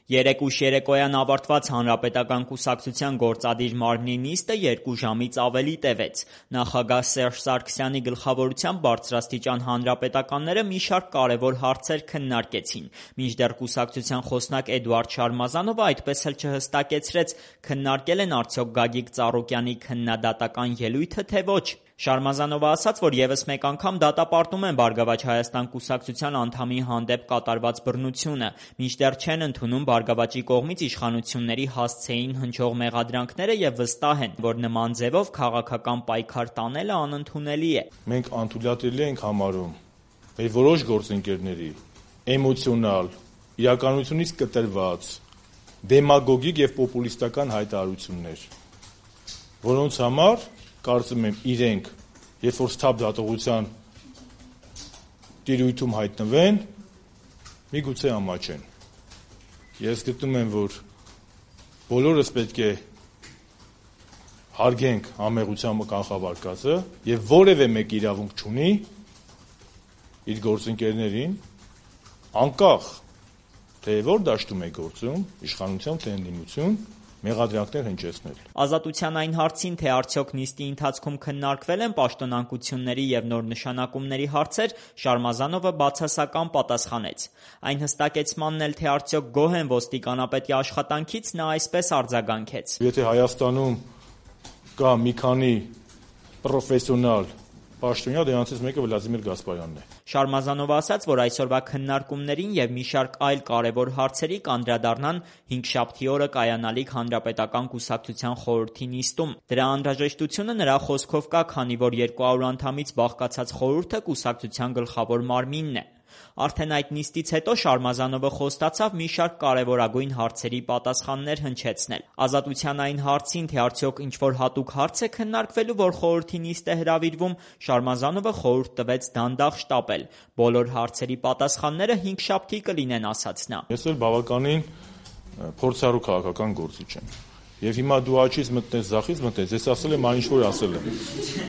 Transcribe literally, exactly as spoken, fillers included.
Երեկ ուշ երեկոյան ավարտված Հանրապետական կուսակցության գործադիր մարմնի նիստը երկու ժամից ավելի տևեց։ Նախագահ Սերժ Սարգսյանի գլխավորությամբ բարձրաստիճան հանրապետականները մի շարք կարևոր հարցեր քննարկեցին, մինչդեռ կուսակցության խոսնակ Էդուարդ Շարմազանովը այդպես էլ չհստակեցրեց՝ քննարկել են արդյոք Գագիկ Ծառուկյանի քննադատական ելույթը, թե ոչ։ Շարմազանովը ասաց, որ ևս մեկ անգամ դատապարտում են «Բարգավաճ Հայաստան» կուսակցության անդամի հանդեպ կատարված բռնությունը, մինչդեռ չեն ընդունում «Բարգավաճի» կողմից իշխանությունների հասցեին հնչող մեղադրանքները և վստահ են, որ նման ձևով քաղաքական պայքար տանելը անընդունելի է։ Մենք անթույլատրելի ենք համարում մեր որոշ գործընկերների էմոցիոնալ, իրականությունից կտրված, դեմագոգիկ և պոպուլիստական հայտարարություններ, որոնց համար կարծում եմ իրենք, երբ որ սթափ դատողության տիրույթում հայտնվեն, միգուցե ամաչեն։ Ես գտնում եմ, որ բոլորս պետք է հարգենք անմեղության կանխավարկածը և որևէ մեկ իրավունք չունի իր գործընկերներին, անկախ թե որ դաշտում է գործում, իշխանություն թե ընդդիմություն, մեղադրանքներ հնչեցնել։ Ազատության այն հարցին, թե արդյոք նիստի ընթացքում քննարկվել են պաշտոնակությունների և նոր նշանակումների հարցեր, Շարմազանովը բացասական պատասխանեց։ Այն հստակեցմանն էլ, թե արդյոք գոհ են ոստիկանապետի աշխատանքից, նա այսպես արձագանքեց. Եթե Հայաստանում կա մի քանի պրոֆեսիոնալ պաշտոնյա, դրանցից մեկը Վլադիմիր Գասպարյանն է։ Շարմազանովը ասաց, որ այսօրվա քննարկումներին և մի շարք այլ կարևոր հարցերի կանդրադառնան հինգշաբթի օրը կայանալիք Հանրապետական կուսակցության խորհրդի նիստում։ Դրա անհրաժեշտությունը նրա խոսքով կա, քանի որ երկու հարյուր անդամից բաղկացած խորհուրդը կուսակցության գլխավոր մարմինն է։ Արդեն այդ նիստից հետո Շարմազանովը խոստացավ մի շարք կարևորագույն հարցերի պատասխաններ հնչեցնել։ Ազատության այն հարցին, թե արդյոք ինչ-որ հատուկ հարց է քննարկվելու, որ խորհրդի նիստ է հրավիրվում, Շարմազանովը խորհուրդ տվեց դանդաղ շտապել։ Բոլոր հարցերի պատասխանները հինգշաբթի կլինեն, ասաց նա։ Ես էլ բավականին փորձառու քաղաքական գործիչ եմ։ Եվ հիմա դու աջից մտնես, ձախից մտնես, ես ասել եմ այն, ինչ որ ասել եմ։